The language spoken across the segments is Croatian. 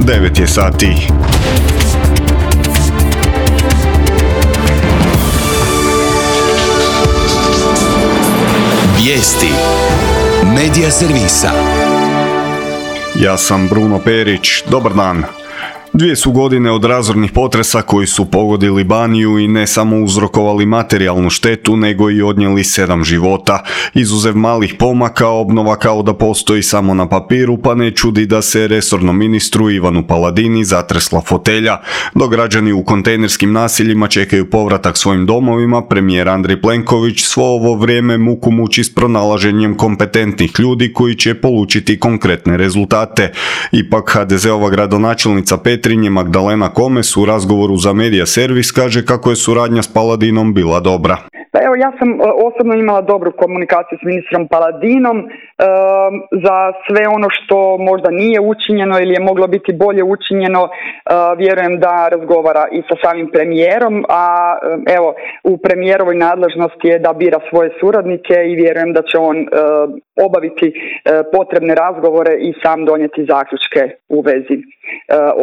9 je sati. Vijesti Medija servisa. Ja sam Bruno Perić, dobar dan. 2 su godine od razornih potresa koji su pogodili Baniju i ne samo uzrokovali materijalnu štetu, nego i odnijeli 7 života. Izuzev malih pomaka, obnova kao da postoji samo na papiru, pa ne čudi da se resornom ministru Ivanu Paladini zatresla fotelja. Dok građani u kontejnerskim naseljima čekaju povratak svojim domovima, premijer Andrej Plenković svo ovo vrijeme muku muči s pronalaženjem kompetentnih ljudi koji će polučiti konkretne rezultate. Ipak HDZ-ova gradonačelnica Petrinje Magdalena Komes u razgovoru za Medija servis kaže kako je suradnja s Paladinom bila dobra. Pa evo, ja sam osobno imala dobru komunikaciju s ministrom Paladinom za sve ono što možda nije učinjeno ili je moglo biti bolje učinjeno. Vjerujem da razgovara i sa samim premijerom, a evo, u premijerovoj nadležnosti je da bira svoje suradnike i vjerujem da će on obaviti potrebne razgovore i sam donijeti zaključke u vezi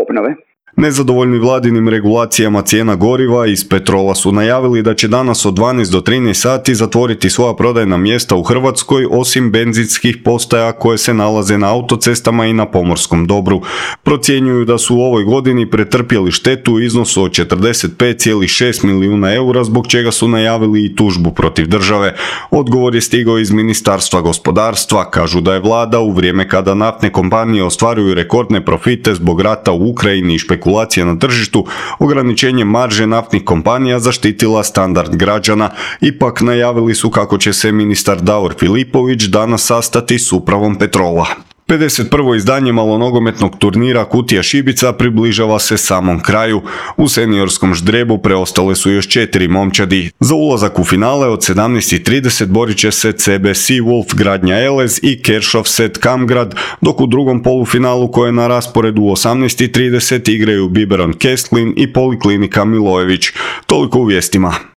obnove. Nezadovoljni vladinim regulacijama cijena goriva iz Petrola su najavili da će danas od 12 do 13 sati zatvoriti svoja prodajna mjesta u Hrvatskoj, osim benzinskih postaja koje se nalaze na autocestama i na pomorskom dobru. Procjenjuju da su u ovoj godini pretrpjeli štetu u iznosu od 45,6 milijuna eura, zbog čega su najavili i tužbu protiv države. Odgovor je stigao iz Ministarstva gospodarstva. Kažu da je vlada u vrijeme kada naftne kompanije ostvaruju rekordne profite zbog rata u Ukrajini i špekulacija na tržištu, ograničenjem marže naftnih kompanija zaštitila standard građana. Ipak najavili su kako će se ministar Davor Filipović danas sastati s upravom Petrola. 51. izdanje malonogometnog turnira Kutija Šibica približava se samom kraju. U seniorskom ždrebu preostale su još 4 momčadi. Za ulazak u finale od 17:30 borit će se CB Seawolf Gradnja Elez i Keršovset Kamgrad, dok u drugom polufinalu koje je na rasporedu u 18:30 igraju Biberon Kestlin i Poliklinika Milojević. Toliko u vijestima.